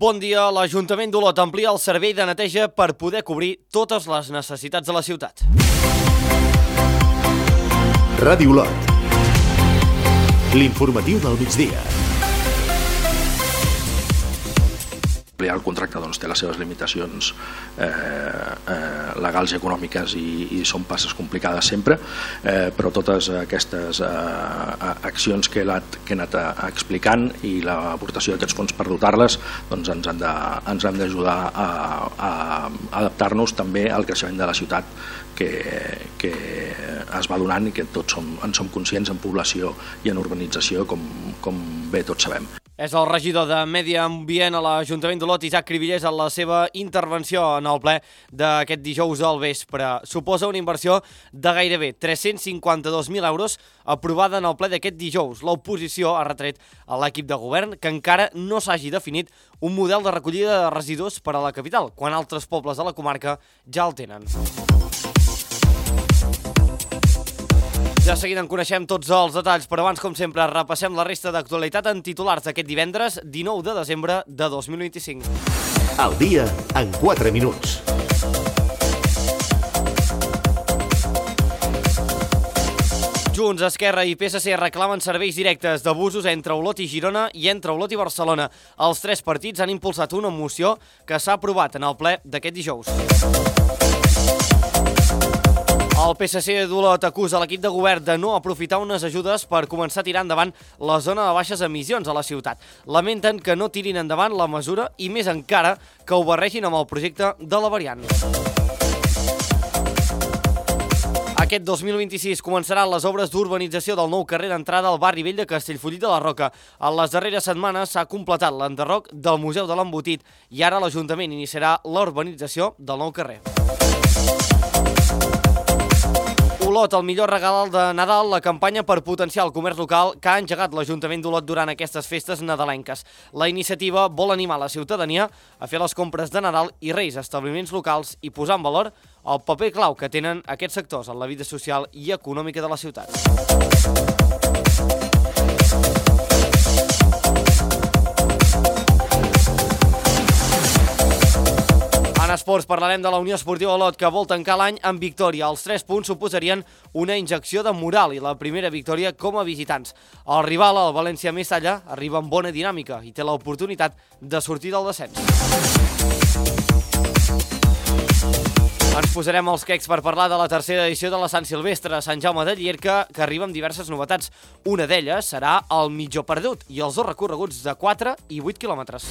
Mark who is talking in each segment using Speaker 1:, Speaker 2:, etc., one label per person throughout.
Speaker 1: Bon dia, l'Ajuntament d'Olot amplia el servei de neteja per poder cobrir totes les necessitats de la ciutat.
Speaker 2: Ràdio Olot. L'informatiu del migdia.
Speaker 3: Ampliar el contracte té les seves limitacions legals i econòmiques i són passes complicades sempre, però totes aquestes accions que he anat explicant i l'aportació d'aquests fons per dotar-les ens han d'ajudar a adaptar-nos també al creixement de la ciutat que es va donant i que tots en som conscients en població i en urbanització, com bé tots sabem.
Speaker 1: És el regidor de Medi Ambient a l'Ajuntament d'Olot, Isaac Cribillers, en la seva intervenció en el ple d'aquest dijous al vespre. Suposa una inversió de gairebé 352.000 euros aprovada en el ple d'aquest dijous. L'oposició ha retret a l'equip de govern que encara no s'hagi definit un model de recollida de residus per a la capital, quan altres pobles de la comarca ja el tenen. Ja seguida en coneixem tots els detalls, però abans, com sempre, repassem la resta d'actualitat en titulars d'aquest divendres 19 de desembre de 2025.
Speaker 2: Al dia en 4 minuts.
Speaker 1: Junts, Esquerra i PSC reclamen serveis directes d'abusos entre Olot i Girona i entre Olot i Barcelona. Els tres partits han impulsat una moció que s'ha aprovat en el ple d'aquest dijous. El PSC d'Olot acusa l'equip de govern de no aprofitar unes ajudes per començar a tirar endavant la zona de baixes emissions a la ciutat. Lamenten que no tirin endavant la mesura i més encara que ho barregin amb el projecte de la variant. Aquest 2026 començaran les obres d'urbanització del nou carrer d'entrada al barri vell de Castellfollit de la Roca. En les darreres setmanes s'ha completat l'enderroc del Museu de l'Embotit i ara l'Ajuntament iniciarà la urbanització del nou carrer. Olot, el millor regal de Nadal, la campanya per potenciar el comerç local que ha engegat l'Ajuntament d'Olot durant aquestes festes nadalenques. La iniciativa vol animar la ciutadania a fer les compres de Nadal i Reis a establiments locals i posar en valor el paper clau que tenen aquests sectors en la vida social i econòmica de la ciutat. En esports parlarem de la Unió Esportiva Olot, que vol tancar l'any amb victòria. Els 3 punts suposarien una injecció de moral i la primera victòria com a visitants. El rival, el València Mestalla, arriba amb bona dinàmica i té l'oportunitat de sortir del descens. Ens posarem els quecs per parlar de la tercera edició de la Sant Silvestre a Sant Jaume de Llierca, que arriba amb diverses novetats. Una d'elles serà el mitjó perdut i els 2 recorreguts de 4 i 8 quilòmetres.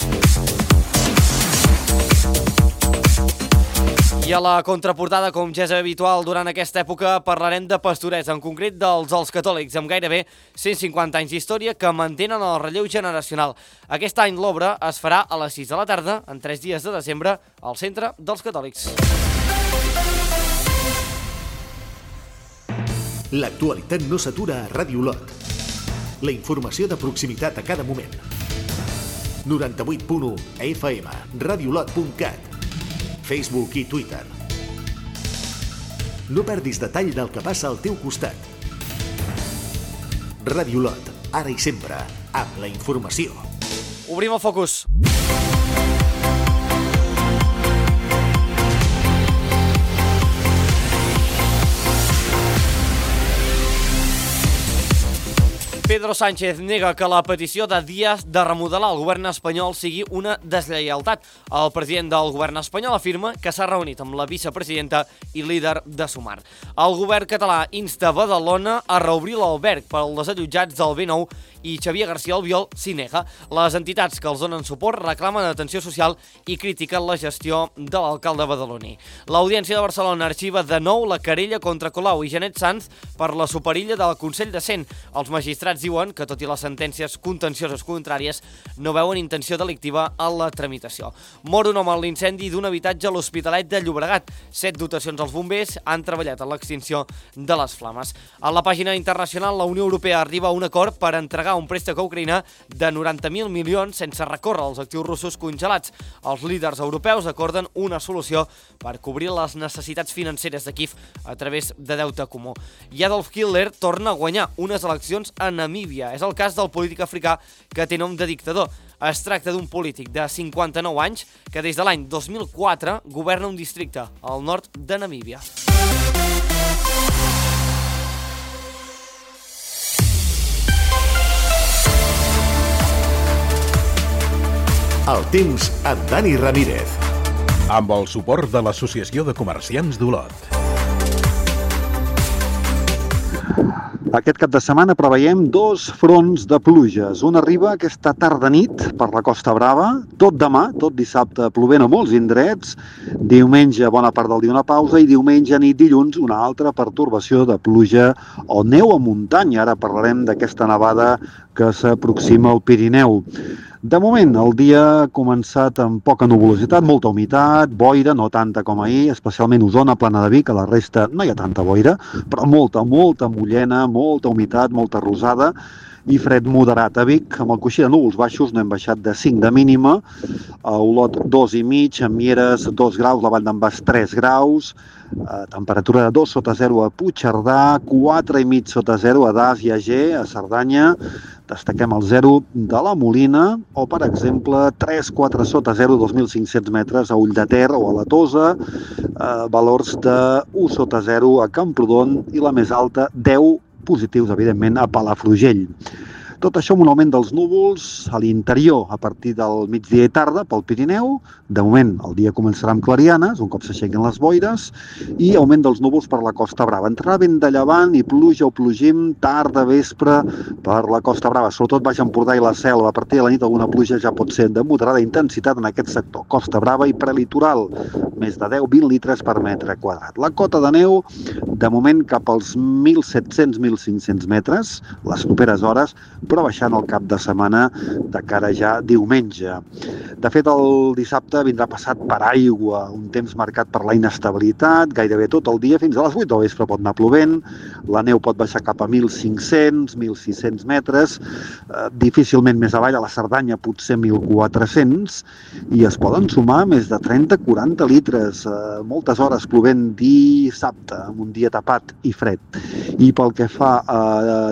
Speaker 1: I a la contraportada, com ja és habitual durant aquesta època, parlarem de pastorets, en concret dels catòlics, amb gairebé 150 anys d'història que mantenen el relleu generacional. Aquest any l'obra es farà a les 6 de la tarda, en 3 dies de desembre, al Centre dels Catòlics.
Speaker 2: L'actualitat no s'atura a Ràdio Olot. La informació de proximitat a cada moment. 98.1 FM, radiolot.cat, Facebook i Twitter. No perdis detall del que passa al teu costat. Ràdio Olot, ara i sempre, amb la informació.
Speaker 1: Obrim el focus. Pedro Sánchez nega que la petició de Díaz de remodelar el govern espanyol sigui una deslleialtat. El president del govern espanyol afirma que s'ha reunit amb la vicepresidenta i líder de Sumar. El govern català insta Badalona a reobrir l'alberg per als desallotjats del B9 i Xavier García Albiol s'hi nega. Les entitats que els donen suport reclamen atenció social i critiquen la gestió de l'alcalde badaloní. L'Audiència de Barcelona arxiva de nou la querella contra Colau i Janet Sanz per la superilla del Consell de Cent. Els magistrats diuen que, tot i les sentències contencioses contràries, no veuen intenció delictiva en la tramitació. Mor un home en l'incendi d'un habitatge a l'Hospitalet de Llobregat. 7 dotacions als bombers han treballat en l'extinció de les flames. A la pàgina internacional, la Unió Europea arriba a un acord per entregar un préstec a Ucraïna de 90.000 milions sense recórrer als actius russos congelats. Els líders europeus acorden una solució per cobrir les necessitats financeres de Kíev a través de deute comú. I Adolf Hitler torna a guanyar unes eleccions enemiques Namíbia. És el cas del polític africà que té nom de dictador. Es tracta d'un polític de 59 anys que des de l'any 2004 governa un districte al nord de Namíbia.
Speaker 2: El temps amb Dani Ramírez.
Speaker 4: Amb el suport de l'Associació de Comerciants d'Olot.
Speaker 5: Aquest cap de setmana preveiem 2 fronts de pluges. Un arriba aquesta tarda-nit per la Costa Brava, tot demà, tot dissabte plovent a molts indrets, diumenge bona part del dia una pausa i diumenge nit dilluns una altra pertorbació de pluja o neu a muntanya. Ara parlarem d'aquesta nevada que s'aproxima al Pirineu. De moment, el dia ha començat amb poca nuvolositat, molta humitat, boira, no tanta com ahir, especialment Osona, Plana de Vic, a la resta no hi ha tanta boira, però molta mullena, molta humitat, molta rosada i fred moderat. A Vic, amb el coixí de núvols baixos, no hem baixat de 5 de mínima, a Olot 2,5, a Mieres 2 graus, la Vall d'en Bas 3 graus, temperatura de 2 sota 0 a Puigcerdà, 4,5 sota 0 a Das i a Ger, a Cerdanya, destaquem el 0 de la Molina o, per exemple, 3,4 sota 0, 2.500 metres a Ulldeter o a la Tosa, valors de 1 sota 0 a Camprodon i la més alta, 10 positius, evidentment, a Palafrugell. Tot això amb un augment dels núvols a l'interior a partir del migdia i tarda pel Pirineu. De moment el dia començarà amb clarianes, un cop s'aixequen les boires, i augment dels núvols per la Costa Brava. Entrarà vent de llevant i pluja o plogim tarda vespre per la Costa Brava, sobretot Baix Empordà i la Selva. A partir de la nit alguna pluja ja pot ser de moderada intensitat en aquest sector. Costa Brava i prelitoral, més de 10-20 litres per metre quadrat. La cota de neu, de moment cap als 1.700-1.500 metres, les properes hores, però baixant el cap de setmana de cara ja diumenge. De fet, el dissabte vindrà passat per aigua, un temps marcat per la inestabilitat, gairebé tot el dia, fins a les 8 del vespre pot anar plovent, la neu pot baixar cap a 1.500, 1.600 metres, difícilment més avall, a la Cerdanya potser 1.400, i es poden sumar més de 30-40 litres, moltes hores plovent dissabte, amb un dia tapat i fred. I pel que fa a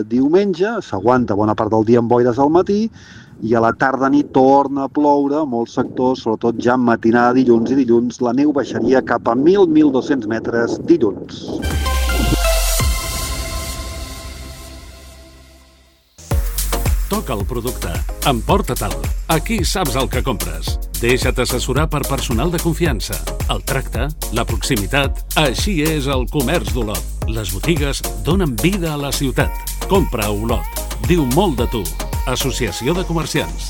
Speaker 5: diumenge, s'aguanta bona part del dia amb boires al matí i a la tarda-nit torna a ploure a molts sectors, sobretot ja en matinada dilluns, i dilluns la neu baixaria cap a 1.000-1.200 metres dilluns.
Speaker 6: Toca el producte, emporta-te'l. Aquí saps el que compres. Deixa't assessorar per personal de confiança. El tracte, la proximitat, així és el comerç d'Olot. Les botigues donen vida a la ciutat. Compra a Olot. Diu molt de tu. Associació de Comerciants.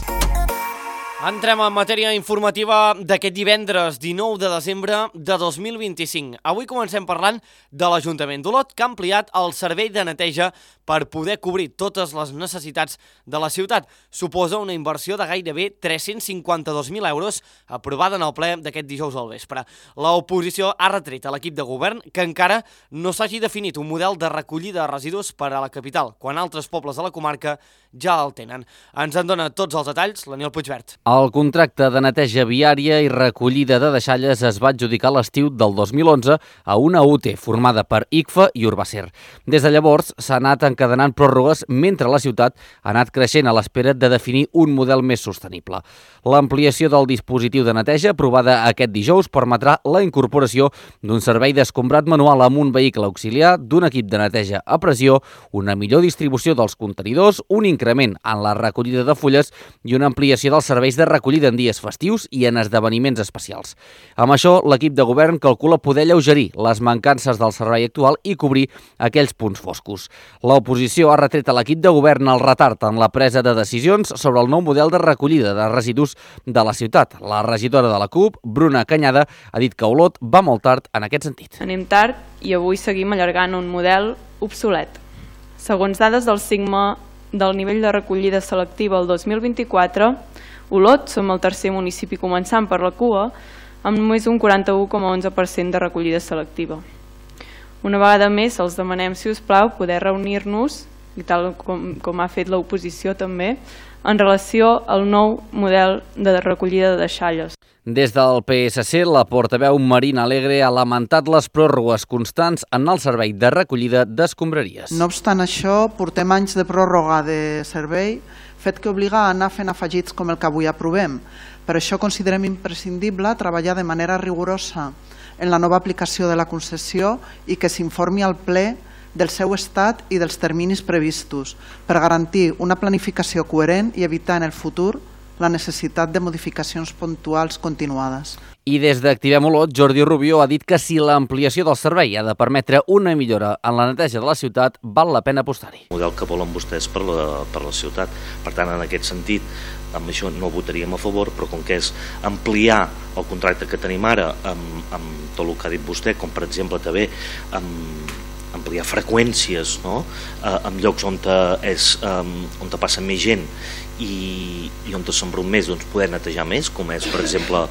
Speaker 1: Entrem en matèria informativa d'aquest divendres 19 de desembre de 2025. Avui comencem parlant de l'Ajuntament d'Olot, que ha ampliat el servei de neteja per poder cobrir totes les necessitats de la ciutat. Suposa una inversió de gairebé 352.000 euros aprovada en el ple d'aquest dijous al vespre. L'oposició ha retret a l'equip de govern que encara no s'hagi definit un model de recollida de residus per a la capital, quan altres pobles de la comarca ja el tenen. Ens en dona tots els detalls l'Aniol Puigvert.
Speaker 7: El contracte de neteja viària i recollida de deixalles es va adjudicar a l'estiu del 2011 a una UT formada per ICFA i Urbacer. Des de llavors s'ha anat encadenant pròrrogues mentre la ciutat ha anat creixent a l'espera de definir un model més sostenible. L'ampliació del dispositiu de neteja aprovada aquest dijous permetrà la incorporació d'un servei d'escombrat manual amb un vehicle auxiliar, d'un equip de neteja a pressió, una millor distribució dels contenidors, un increment en la recollida de fulles i una ampliació dels serveis de recollida en dies festius i en esdeveniments especials. Amb això, l'equip de govern calcula poder alleugerir les mancances del servei actual i cobrir aquells punts foscos. L'oposició ha retret a l'equip de govern el retard en la presa de decisions sobre el nou model de recollida de residus de la ciutat. La regidora de la CUP, Bruna Canyada, ha dit que Olot va molt tard en aquest sentit.
Speaker 8: Anem tard i avui seguim allargant un model obsolet. Segons dades del SIGMA del nivell de recollida selectiva el 2024, Olot som el tercer municipi començant per la cua amb només un 41,11% de recollida selectiva. Una vegada més els demanem, si us plau, poder reunir-nos, i tal com ha fet l'oposició també, en relació al nou model de recollida de deixalles.
Speaker 7: Des del PSC, la portaveu Marina Alegre ha lamentat les pròrrogues constants en el servei de recollida d'escombraries.
Speaker 9: No obstant això, portem anys de pròrroga de servei, fet que obliga a anar fent afegits com el que avui aprovem. Per això considerem imprescindible treballar de manera rigorosa en la nova aplicació de la concessió i que s'informi al ple del seu estat i dels terminis previstos per garantir una planificació coherent i evitar en el futur la necessitat de modificacions puntuals continuades.
Speaker 7: I des d'Activem Olot, Jordi Rubió ha dit que si l'ampliació del servei ha de permetre una millora en la neteja de la ciutat, val la pena apostar-hi.
Speaker 10: El model que volen vostès per la ciutat. Per tant, en aquest sentit, amb això no votaríem a favor, però com que és ampliar el contracte que tenim ara amb tot el que ha dit vostè, com per exemple també ampliar freqüències, no? En llocs on passa més gent i on s'embrut més, doncs poder netejar més, com és per exemple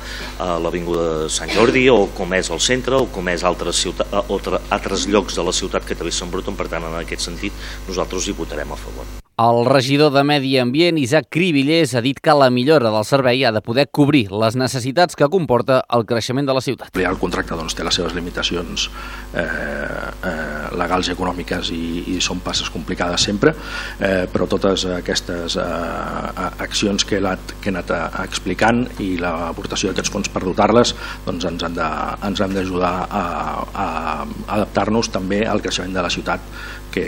Speaker 10: l'Avinguda de Sant Jordi o com és el centre o com és altres llocs de la ciutat que també s'embruten. Per tant, en aquest sentit nosaltres hi votarem a favor.
Speaker 7: El regidor de Medi Ambient, Isaac Cribillers, ha dit que la millora del servei ha de poder cobrir les necessitats que comporta el creixement de la ciutat.
Speaker 3: El contracte té les seves limitacions legals i econòmiques i són passes complicades sempre, però totes aquestes accions que he anat explicant i l'aportació d'aquests fons per dotar-les ens han d'ajudar a adaptar-nos també al creixement de la ciutat que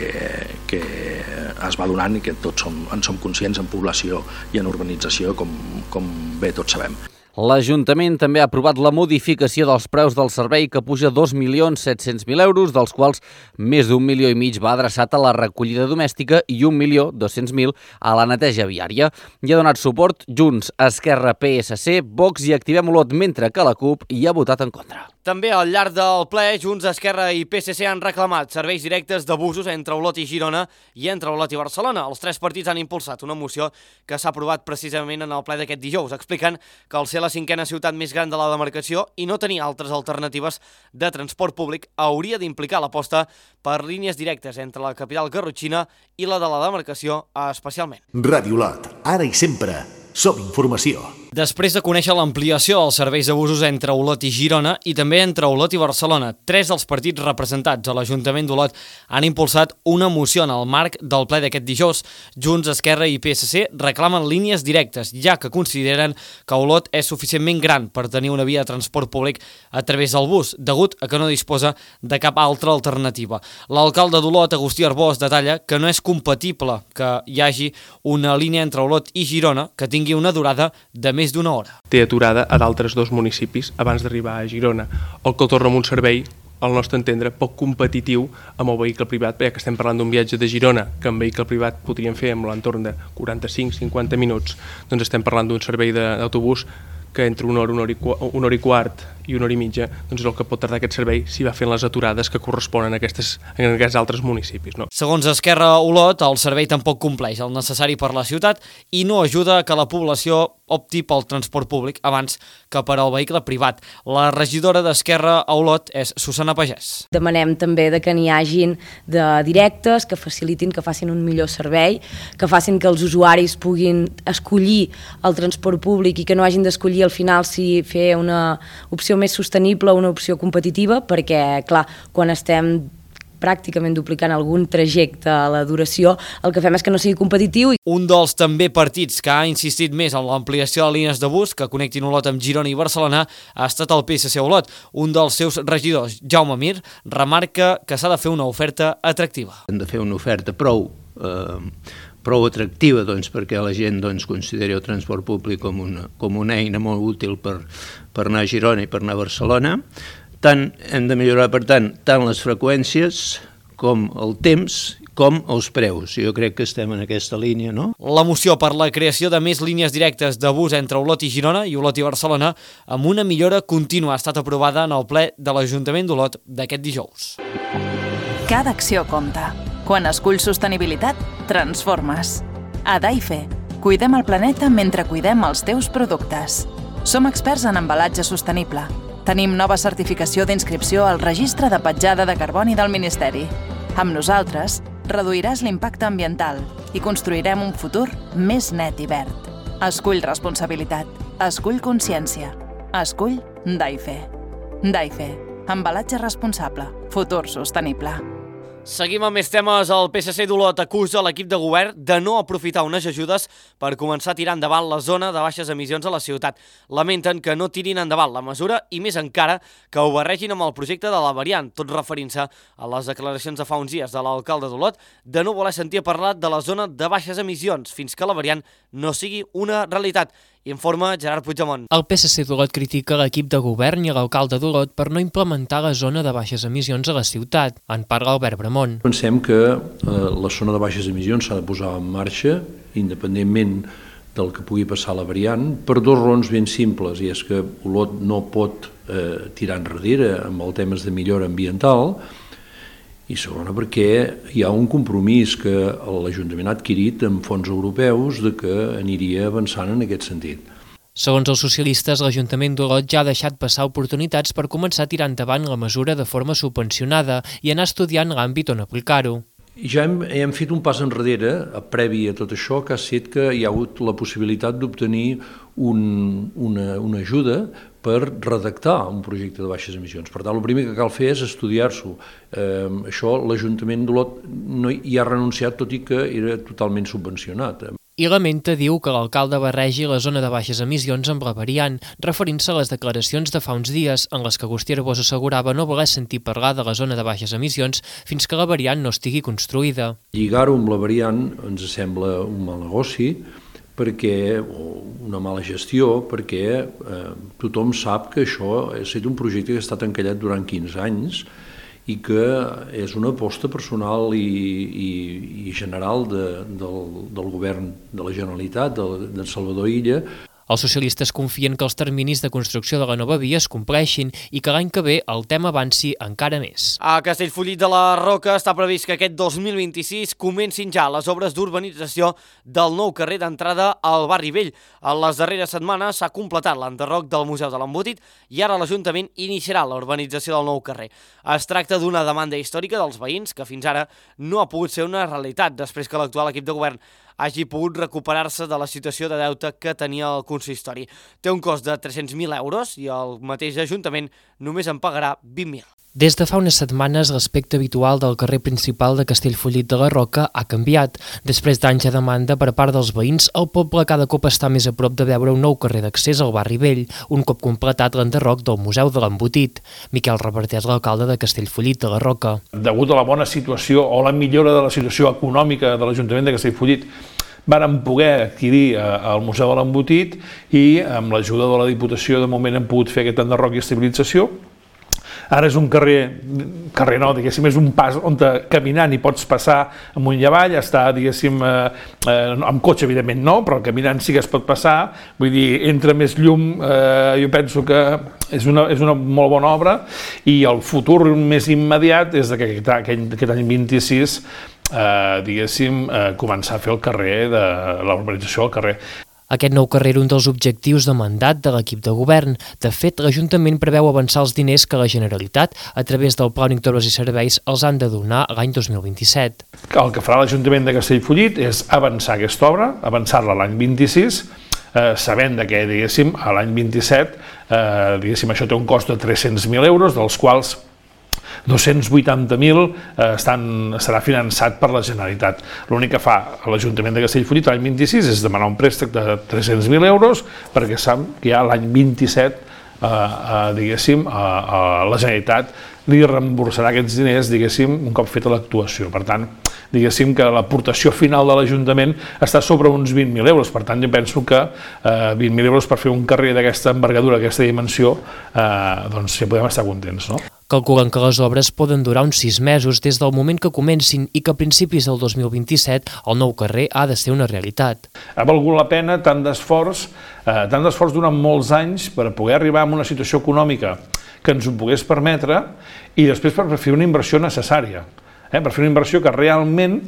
Speaker 3: es va donant i que tots en som conscients en població i en urbanització, com bé tots sabem.
Speaker 7: L'Ajuntament també ha aprovat la modificació dels preus del servei que puja 2.700.000 euros, dels quals més d'1,5 milions va adreçat a la recollida domèstica i 1.200.000 a la neteja viària. Hi ha donat suport Junts, Esquerra, PSC, Vox i Activem Olot, mentre que la CUP hi ha votat en contra.
Speaker 1: També al llarg del ple, Junts, Esquerra i PSC han reclamat serveis directes de busos entre Olot i Girona i entre Olot i Barcelona. Els tres partits han impulsat una moció que s'ha aprovat precisament en el ple d'aquest dijous, explicant que al ser la cinquena ciutat més gran de la demarcació i no tenir altres alternatives de transport públic hauria d'implicar l'aposta per línies directes entre la capital garrotxina i la de la demarcació especialment.
Speaker 2: Ràdio Olot, ara i sempre, som informació.
Speaker 1: Després de conèixer l'ampliació dels serveis de busos entre Olot i Girona i també entre Olot i Barcelona, 3 dels partits representats a l'Ajuntament d'Olot han impulsat una moció en el marc del ple d'aquest dijous. Junts, Esquerra i PSC reclamen línies directes, ja que consideren que Olot és suficientment gran per tenir una via de transport públic a través del bus, degut a que no disposa de cap altra alternativa. L'alcalde d'Olot, Agustí Arbós, detalla que no és compatible que hi hagi una línia entre Olot i Girona que tingui una durada de més d'una hora.
Speaker 11: Té aturada a d'altres 2 municipis abans d'arribar a Girona, el que torna amb un servei, al nostre entendre, poc competitiu amb el vehicle privat, ja que estem parlant d'un viatge de Girona que amb vehicle privat podríem fer amb l'entorn de 45-50 minuts, doncs estem parlant d'un servei d'autobús que entre una hora i quart i una hora i mitja doncs és el que pot tardar aquest servei si va fent les aturades que corresponen en aquests altres municipis. No?
Speaker 1: Segons Esquerra Olot, el servei tampoc compleix el necessari per la ciutat i no ajuda que la població opti pel transport públic abans que per al vehicle privat. La regidora d'Esquerra a Olot és Susana Pagès.
Speaker 12: Demanem també que n'hi hagin de directes, que facilitin, que facin un millor servei, que facin que els usuaris puguin escollir el transport públic i que no hagin d'escollir al final si fer una opció més sostenible o una opció competitiva, perquè, clar, quan estem pràcticament duplicant algun trajecte a la duració, el que fem és que no sigui competitiu.
Speaker 1: Un dels també partits que ha insistit més en l'ampliació de línies de bus que connectin Olot amb Girona i Barcelona ha estat el PSC Olot. Un dels seus regidors, Jaume Mir, remarca que s'ha de fer una oferta atractiva.
Speaker 13: Hem de fer una oferta prou atractiva perquè la gent consideri el transport públic com una eina molt útil per anar a Girona i per anar a Barcelona. Hem de millorar, per tant, tant les freqüències com el temps com els preus. Jo crec que estem en aquesta línia, no?
Speaker 1: La moció per la creació de més línies directes de bus entre Olot i Girona i Olot i Barcelona amb una millora contínua ha estat aprovada en el ple de l'Ajuntament d'Olot d'aquest dijous.
Speaker 14: Cada acció compta. Quan esculls sostenibilitat, transformes. A Daife, cuidem el planeta mentre cuidem els teus productes. Som experts en embalatge sostenible. Tenim nova certificació d'inscripció al Registre de Petjada de Carboni del Ministeri. Amb nosaltres, reduiràs l'impacte ambiental, i construirem un futur més net i verd. Escull responsabilitat. Escull consciència. Escull DAIFE. DAIFE. Embalatge responsable. Futur sostenible.
Speaker 1: Seguim amb més temes. El PSC d'Olot acusa l'equip de govern de no aprofitar unes ajudes per començar a tirar endavant la zona de baixes emissions a la ciutat. Lamenten que no tirin endavant la mesura i més encara que ho barregin amb el projecte de la variant, tot referint-se a les declaracions de fa uns dies de l'alcalde d'Olot de no voler sentir parlar de la zona de baixes emissions fins que la variant no sigui una realitat. Informa Gerard Puigdemont.
Speaker 15: El PSC d'Olot critica l'equip de govern i l'alcalde d'Olot per no implementar la zona de baixes emissions a la ciutat. En parla Albert Bramont.
Speaker 3: Pensem que la zona de baixes emissions s'ha de posar en marxa, independentment del que pugui passar la variant, per dos raons ben simples, i és que Olot no pot tirar enrere amb els temes de millora ambiental, i segona perquè hi ha un compromís que l'Ajuntament ha adquirit amb fons europeus de que aniria avançant en aquest sentit.
Speaker 15: Segons els socialistes, l'Ajuntament d'Olot ja ha deixat passar oportunitats per començar a tirar endavant la mesura de forma subvencionada i anar estudiant l'àmbit on aplicar-ho.
Speaker 3: Ja hem fet un pas enrere, previ a tot això, que ha set que hi ha hagut la possibilitat d'obtenir una ajuda per redactar un projecte de baixes emissions. Per tant, el primer que cal fer és estudiar-s'ho. Això l'Ajuntament d'Olot no hi ha renunciat, tot i que era totalment subvencionat.
Speaker 15: I lamenta, diu, que l'alcalde barregi la zona de baixes emissions amb la variant, referint-se a les declaracions de fa uns dies en les que Agustí Arbós assegurava no voler sentir parlar de la zona de baixes emissions fins que la variant no estigui construïda.
Speaker 3: Lligar-ho amb la variant ens sembla un mal negoci, o una mala gestió, perquè tothom sap que això ha estat un projecte que ha estat encallat durant 15 anys i que és una aposta personal i general del govern de la Generalitat, d'en Salvador Illa.
Speaker 15: Els socialistes confien que els terminis de construcció de la nova via es compleixin i que l'any que ve el tema avanci encara més.
Speaker 1: A Castellfollit de la Roca està previst que aquest 2026 comencin ja les obres d'urbanització del nou carrer d'entrada al Barri Vell. En les darreres setmanes s'ha completat l'enderroc del Museu de l'Embotit i ara l'Ajuntament iniciarà la urbanització del nou carrer. Es tracta d'una demanda històrica dels veïns que fins ara no ha pogut ser una realitat després que l'actual equip de govern hagi pogut recuperar-se de la situació de deute que tenia el consistori. Té un cost de 300.000 euros i el mateix Ajuntament només en pagarà 20.000.
Speaker 15: Des de fa unes setmanes, l'aspecte habitual del carrer principal de Castellfollit de la Roca ha canviat. Després d'anys de demanda per part dels veïns, el poble cada cop està més a prop de veure un nou carrer d'accés al Barri Vell, un cop completat l'enderroc del Museu de l'Embotit. Miquel Reverter és l'alcalde de Castellfollit de la Roca.
Speaker 16: Degut a la bona situació o la millora de la situació econòmica de l'Ajuntament de Castellfollit, vàrem poder adquirir el Museu de l'Embotit i amb l'ajuda de la Diputació de moment hem pogut fer aquest enderroc i estabilització. Ara és un carrer no, diguéssim, és un pas on caminant hi pots passar amunt i avall, està, diguéssim, amb cotxe evidentment no, però caminant sí que es pot passar, vull dir, entra més llum, jo penso que és una molt bona obra i el futur més immediat és que aquest any 26, diguéssim, començar a fer el carrer, la urbanització del carrer.
Speaker 15: Aquest nou carrer era un dels objectius de mandat de l'equip de govern. De fet, l'Ajuntament preveu avançar els diners que la Generalitat, a través del Pla Únic d'Obres i Serveis, els han de donar l'any 2027.
Speaker 16: El que farà l'Ajuntament de Castellfollit és avançar aquesta obra, avançar-la l'any 26, sabent que, diguéssim, a l'any 27, diguéssim, això té un cost de 300.000 euros, dels quals 280.000 serà finançat per la Generalitat. L'únic que fa l'Ajuntament de Castellfollit l'any 26 és demanar un préstec de 300.000 euros perquè sap que ja l'any 27, diguéssim, la Generalitat li reemborsarà aquests diners, diguéssim, un cop feta l'actuació. Per tant, diguéssim que l'aportació final de l'Ajuntament està sobre uns 20.000 euros. Per tant, jo penso que 20.000 euros per fer un carrer d'aquesta envergadura, d'aquesta dimensió, doncs ja podem estar contents, no?
Speaker 15: Calculen que les obres poden durar uns 6 mesos des del moment que comencin i que a principis del 2027 el nou carrer ha de ser una realitat.
Speaker 16: Ha valgut la pena tant d'esforç durant molts anys per poder arribar a una situació econòmica que ens ho pogués permetre i després per fer una inversió necessària. per fer una inversió que realment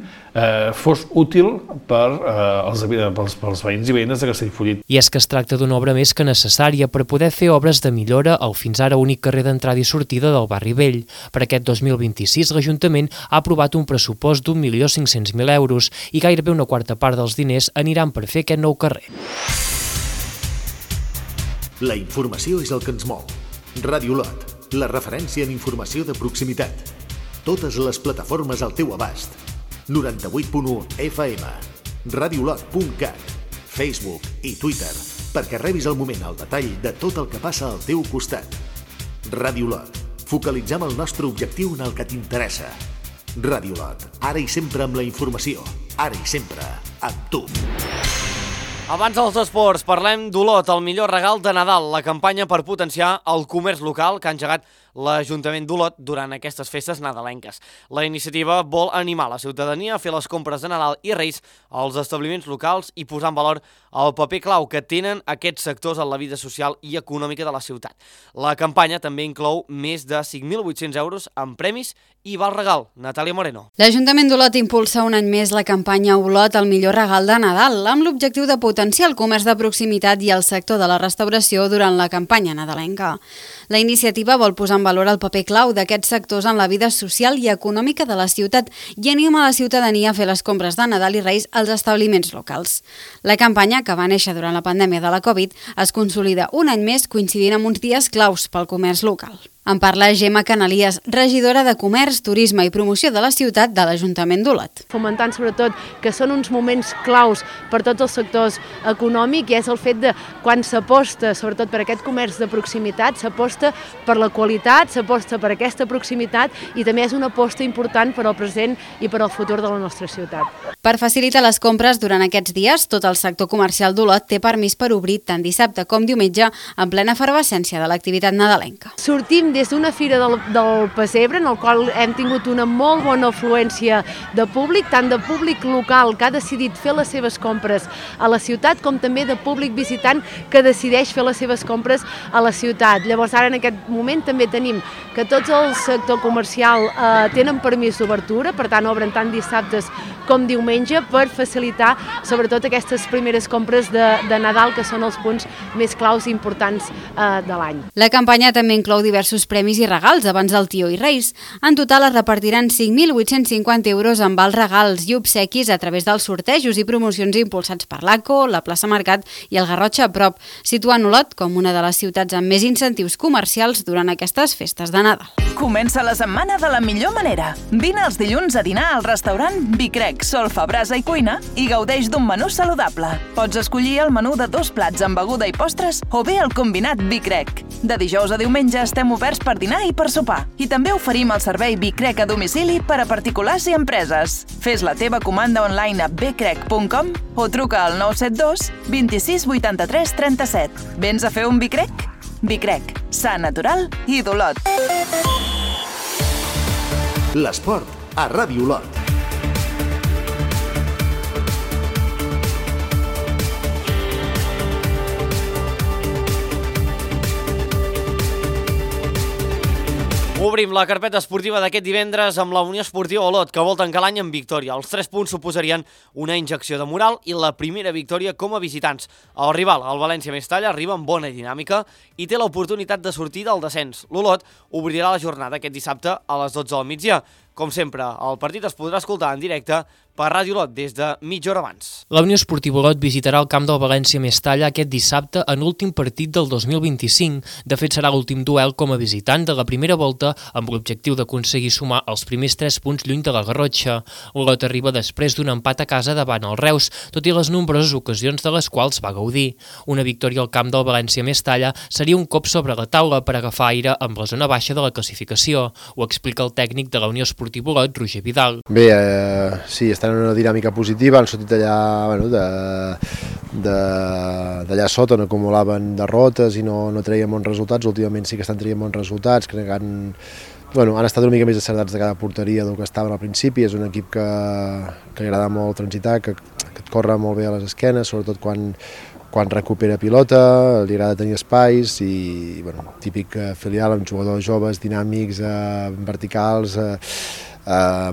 Speaker 16: fos útil pels veïns i veïnes de Castellfollit.
Speaker 15: I és que es tracta d'una obra més que necessària per poder fer obres de millora al fins ara únic carrer d'entrada i sortida del barri vell. Per aquest 2026 l'Ajuntament ha aprovat un pressupost d'1.500.000 euros i gairebé una quarta part dels diners aniran per fer aquest nou carrer.
Speaker 2: La informació és el que ens mou. Ràdio Lot, la referència en informació de proximitat. Totes les plataformes al teu abast. 98.1 FM, radiolot.cat, Facebook i Twitter, perquè rebis al moment el detall de tot el que passa al teu costat. Ràdio Lot, focalitzem el nostre objectiu en el que t'interessa. Ràdio Lot, ara i sempre amb la informació, ara i sempre amb tu.
Speaker 1: Abans dels esports, parlem d'Olot, el millor regal de Nadal, la campanya per potenciar el comerç local que ha engegat l'Ajuntament d'Olot durant aquestes festes nadalenques. La iniciativa vol animar la ciutadania a fer les compres de Nadal i Reis als establiments locals i posar en valor el paper clau que tenen aquests sectors en la vida social i econòmica de la ciutat. La campanya també inclou més de 5.800 euros en premis i val regal. Natàlia Moreno.
Speaker 17: L'Ajuntament d'Olot impulsa un any més la campanya Olot, el millor regal de Nadal, amb l'objectiu de potenciar el comerç de proximitat i el sector de la restauració durant la campanya nadalenca. La iniciativa vol posar en valor el paper clau d'aquests sectors en la vida social i econòmica de la ciutat i anima la ciutadania a fer les compres de Nadal i Reis als establiments locals. La campanya, que va néixer durant la pandèmia de la Covid, es consolida un any més coincidint amb uns dies claus pel comerç local. En parla Gemma Canalies, regidora de Comerç, Turisme i Promoció de la ciutat de l'Ajuntament d'Olot.
Speaker 18: Fomentant sobretot que són uns moments claus per tots els sectors econòmics i és el fet de quan s'aposta sobretot per aquest comerç de proximitat, s'aposta per la qualitat, s'aposta per aquesta proximitat i també és una aposta important per al present i per al futur de la nostra ciutat.
Speaker 17: Per facilitar les compres durant aquests dies, tot el sector comercial d'Olot té permís per obrir tant dissabte com diumenge en plena efervescència de l'activitat nadalenca.
Speaker 18: Sortim des d'una fira del Pessebre, en el qual hem tingut una molt bona afluència de públic, tant de públic local que ha decidit fer les seves compres a la ciutat, com també de públic visitant que decideix fer les seves compres a la ciutat. Llavors ara en aquest moment també tenim que tots el sector comercial tenen permís d'obertura, per tant obren tant dissabtes com diumenge per facilitar sobretot aquestes primeres compres de Nadal, que són els punts més claus i importants de l'any.
Speaker 17: La campanya també inclou diversos premis i regals abans del Tio i Reis. En total es repartiran 5.850 euros en vals regals i obsequis a través dels sortejos i promocions impulsats per l'ACO, la plaça Mercat i el Garrotxa a prop, situant Olot com una de les ciutats amb més incentius comercials durant aquestes festes de Nadal.
Speaker 14: Comença la setmana de la millor manera. Vine els dilluns a dinar al restaurant Vicrec, solfa, brasa i cuina i gaudeix d'un menú saludable. Pots escollir el menú de 2 plats amb beguda i postres o bé el combinat Vicrec. De dijous a diumenge estem oberts per dinar i per sopar. I també oferim el servei Vicrec a domicili per a particulars i empreses. Fes la teva comanda online a becrec.com o truca al 972 26 83 37. Vens a fer un Vicrec? Vicrec, sa, natural i d'Olot.
Speaker 2: L'esport a Ràdio Olot.
Speaker 1: Obrim la carpeta esportiva d'aquest divendres amb la Unió Esportiva Olot, que vol tancar l'any amb victòria. Els 3 punts suposarien una injecció de moral i la primera victòria com a visitants. El rival, el València Mestalla, arriba amb bona dinàmica i té l'oportunitat de sortir del descens. L'Olot obrirà la jornada aquest dissabte a les 12 del migdia. Com sempre, el partit es podrà escoltar en directe per Ràdio Olot des de mitja hora abans.
Speaker 15: La Unió Esportiva Olot visitarà el camp del València Mestalla aquest dissabte en l'últim partit del 2025. De fet, serà l'últim duel com a visitant de la primera volta amb l'objectiu d'aconseguir sumar els primers 3 punts lluny de la Garrotxa. Olot arriba després d'un empat a casa davant el Reus, tot i les nombroses ocasions de les quals va gaudir. Una victòria al camp del València Mestalla seria un cop sobre la taula per agafar aire amb la zona baixa de la classificació. Ho explica el tècnic de la Unió Esportiva Olot, Roger Vidal.
Speaker 19: Bé, sí, estan en una dinàmica positiva, han sortit allà, d'allà sota on acumulaven derrotes i no treien bons resultats. Últimament sí que estan traient bons resultats, crec que han estat una mica més acertats de cada porteria del que estaven al principi. És un equip que li agrada molt transitar, que et corre molt bé a les esquenes, sobretot quan recupera pilota, li agrada tenir espais i típic filial amb jugadors joves, dinàmics, verticals,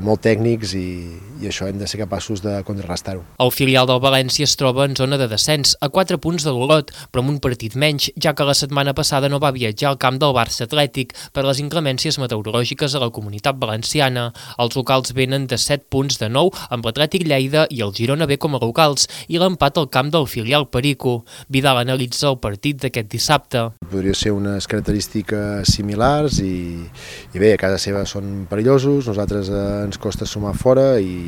Speaker 19: molt tècnics i això hem de ser capaços de contrarrestar-ho.
Speaker 15: El filial del València es troba en zona de descens, a 4 punts de l'Olot, però amb un partit menys, ja que la setmana passada no va viatjar al camp del Barça Atlètic per les inclemències meteorològiques a la Comunitat Valenciana. Els locals venen de 7 punts de 9, amb l'Atlètic Lleida i el Girona B com a locals, i l'empat al camp del filial Perico. Vidal analitza el partit d'aquest dissabte.
Speaker 19: Podria ser unes característiques similars i bé, a casa seva són perillosos, nosaltres ens costa sumar fora i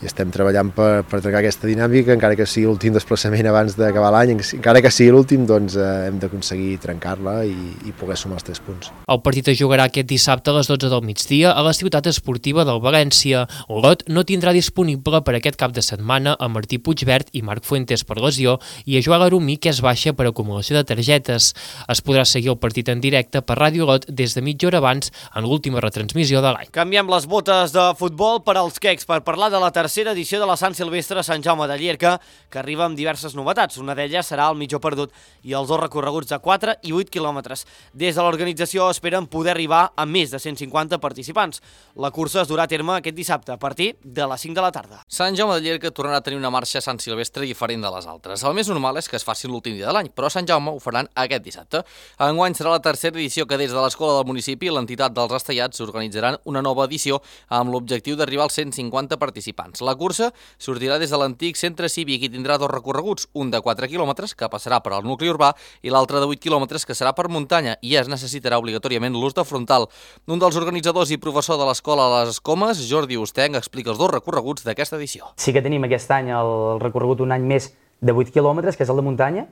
Speaker 19: estem treballant per trencar aquesta dinàmica, encara que sigui l'últim desplaçament abans d'acabar l'any, encara que sigui l'últim, doncs hem d'aconseguir trencar-la i poder sumar els 3 punts.
Speaker 15: El partit es jugarà aquest dissabte a les 12 del migdia a la ciutat esportiva del València. Olot no tindrà disponible per aquest cap de setmana a Martí Puigvert i Marc Fuentes per lesió i a Joel Arumí, que és baixa per acumulació de targetes. Es podrà seguir el partit en directe per Ràdio Olot des de mitja hora abans en l'última retransmissió de l'any.
Speaker 1: Canviem les botes de futbol per als quecs per parlar de la tercera edició de la Sant Silvestre Sant Jaume de Llierca, que arriba amb diverses novetats. Una d'elles serà el mitjó perdut i els 2 recorreguts de 4 i 8 quilòmetres. Des de l'organització esperen poder arribar a més de 150 participants. La cursa es durà a terme aquest dissabte a partir de les 5 de la tarda.
Speaker 7: Sant Jaume de Llierca tornarà a tenir una marxa Sant Silvestre diferent de les altres. El més normal és que es faci l'últim dia de l'any, però a Sant Jaume ho faran aquest dissabte. Enguany serà la tercera edició que des de l'escola del municipi i l'entitat dels Estellats organitzaran una nova edició amb l'objectiu d'arribar als 150 participants. La cursa sortirà des de l'antic centre cívic i tindrà 2 recorreguts, un de 4 quilòmetres, que passarà per al nucli urbà, i l'altre de 8 quilòmetres, que serà per muntanya, i es necessitarà obligatòriament l'ús de frontal. Un dels organitzadors i professor de l'escola a les Escomes, Jordi Ostenc, explica els 2 recorreguts d'aquesta edició.
Speaker 20: Sí que tenim aquest any el recorregut un any més de 8 quilòmetres, que és el de muntanya,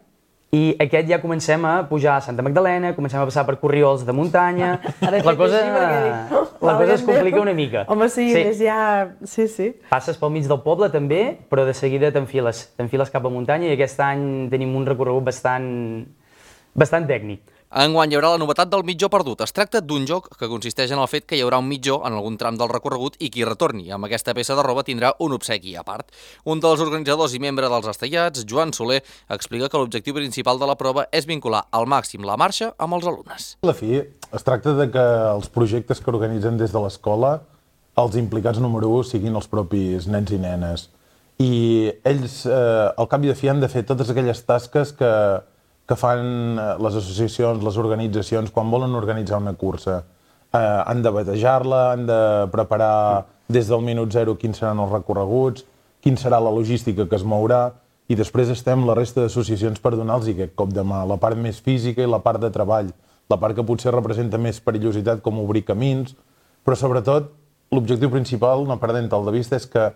Speaker 20: i aquest ja comencem a pujar a Santa Magdalena, comencem a passar per corriols de muntanya, la cosa es complica una mica.
Speaker 21: Home, sí, més ja... Sí.
Speaker 20: Passes pel mig del poble també, però de seguida t'enfiles cap a muntanya i aquest any tenim un recorregut bastant tècnic.
Speaker 7: Enguany hi haurà la novetat del mitjó perdut. Es tracta d'un joc que consisteix en el fet que hi haurà un mitjó en algun tram del recorregut i qui retorni amb aquesta peça de roba tindrà un obsequi a part. Un dels organitzadors i membre dels Estellats, Joan Soler, explica que l'objectiu principal de la prova és vincular al màxim la marxa amb els alumnes.
Speaker 22: A la fi, es tracta de que els projectes que organitzen des de l'escola, els implicats número 1 siguin els propis nens i nenes. I ells, al cap i a fi, han de fer totes aquelles tasques que fan les associacions, les organitzacions, quan volen organitzar una cursa. Han de batejar-la, han de preparar des del minut 0 quins seran els recorreguts, quin serà la logística que es mourà, i després estem la resta d'associacions per donar-los aquest cop de mà, la part més física i la part de treball, la part que potser representa més perillositat com obrir camins, però sobretot l'objectiu principal, no perdent-te'l de vista, és que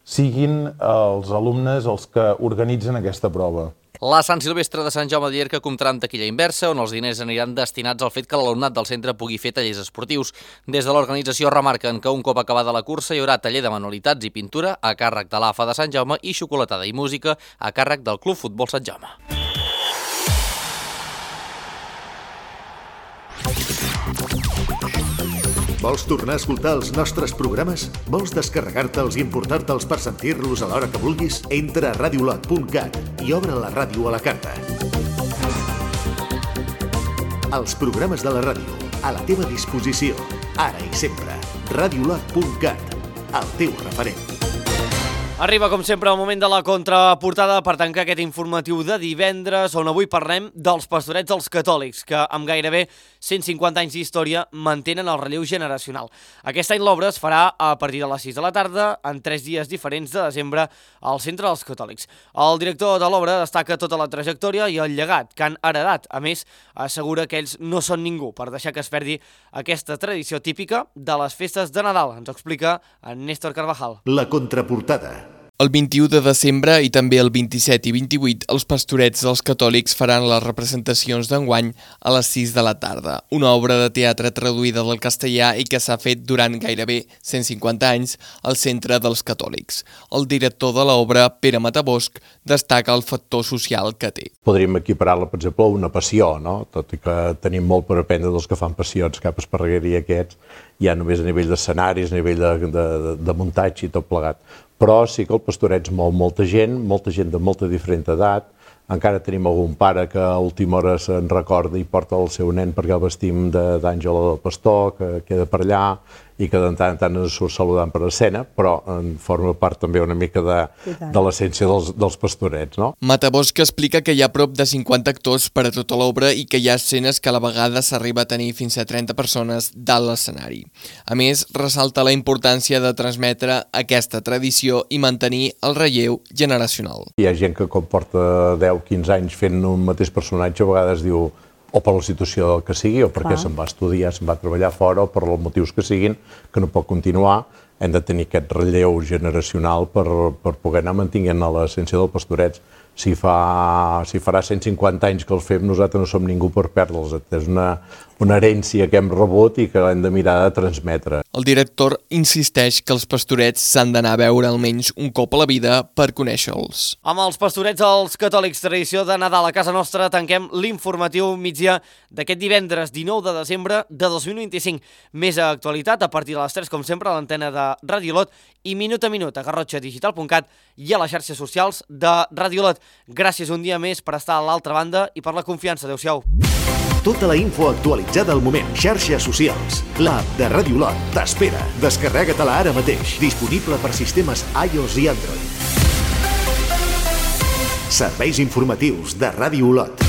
Speaker 22: siguin els alumnes els que organitzen aquesta prova.
Speaker 7: La Sant Silvestre de Sant Jaume de Llierca comptarà amb taquilla inversa, on els diners aniran destinats al fet que l'alumnat del centre pugui fer tallers esportius. Des de l'organització remarquen que un cop acabada la cursa hi haurà taller de manualitats i pintura a càrrec de l'AFA de Sant Jaume i xocolatada i música a càrrec del Club Futbol Sant Jaume.
Speaker 2: Vols tornar a escoltar els nostres programes? Vols descarregar-te'ls i importar-te'ls per sentir-los a l'hora que vulguis? Entra a radiolot.cat i obre la ràdio a la carta. Els programes de la ràdio, a la teva disposició, ara i sempre. Radiolot.cat, el teu referent.
Speaker 1: Arriba, com sempre, el moment de la contraportada per tancar aquest informatiu de divendres, on avui parlem dels pastorets dels catòlics, que amb gairebé 150 anys d'història mantenen el relleu generacional. Aquest any l'obra es farà a partir de les 6 de la tarda, en 3 dies diferents de desembre, al Centre dels Catòlics. El director de l'obra destaca tota la trajectòria i el llegat que han heredat. A més, assegura que ells no són ningú per deixar que es perdi aquesta tradició típica de les festes de Nadal. Ens ho explica en Néstor Carvajal.
Speaker 2: La contraportada.
Speaker 23: El 21 de desembre i també el 27 i 28, els pastorets dels catòlics faran les representacions d'enguany a les 6 de la tarda. Una obra de teatre traduïda del castellà i que s'ha fet durant gairebé 150 anys al Centre dels Catòlics. El director de l'obra, Pere Matabosch, destaca el factor social que té.
Speaker 24: Podríem equiparar-la, per exemple, a una passió, no? Tot i que tenim molt per aprendre dels que fan passions, Cap Esparreguera i aquests, ja només a nivell d'escenaris, a nivell de muntatge i tot plegat. Però sí que el pastoret mou molta gent de molta diferent edat. Encara tenim algun pare que a última hora se'n recorda i porta el seu nen perquè el vestim d'Àngela del Pastor, que queda per allà, i que de tant en tant ens surt saludant per escena, però en forma part també una mica de l'essència dels pastorets, no?
Speaker 23: Matabosc explica que hi ha prop de 50 actors per a tota l'obra i que hi ha escenes que a la vegada s'arriba a tenir fins a 30 persones dalt l'escenari. A més, ressalta la importància de transmetre aquesta tradició i mantenir el relleu generacional.
Speaker 24: Hi ha gent que com porta 10-15 anys fent un mateix personatge, a vegades diu o per la situació que sigui, o perquè se'n va estudiar, se'n va treballar fora, o per els motius que siguin, que no pot continuar. Hem de tenir aquest relleu generacional per poder anar mantenint l'essència del pastorets. Si farà 150 anys que els fem, nosaltres no som ningú per perdre'ls. És una herència que hem rebut i que hem de mirar de transmetre.
Speaker 23: El director insisteix que els pastorets s'han d'anar a veure almenys un cop a la vida per conèixer-los.
Speaker 1: Amb els pastorets als catòlics, tradició de Nadal a casa nostra, tanquem l'informatiu migdia d'aquest divendres 19 de desembre de 2025. Més actualitat a partir de les 3, com sempre, a l'antena de Ràdio Lot i minut a minut a garrotxadigital.cat i a les xarxes socials de Ràdio Lot. Gràcies un dia més per estar a l'altra banda i per la confiança. Adéu-siau.
Speaker 2: Tota la info actualitzada al moment. Xarxes socials. L'app de Ràdio Lot t'espera. Descarrega-te-la ara mateix. Disponible per sistemes iOS i Android. Serveis informatius de Ràdio Lot.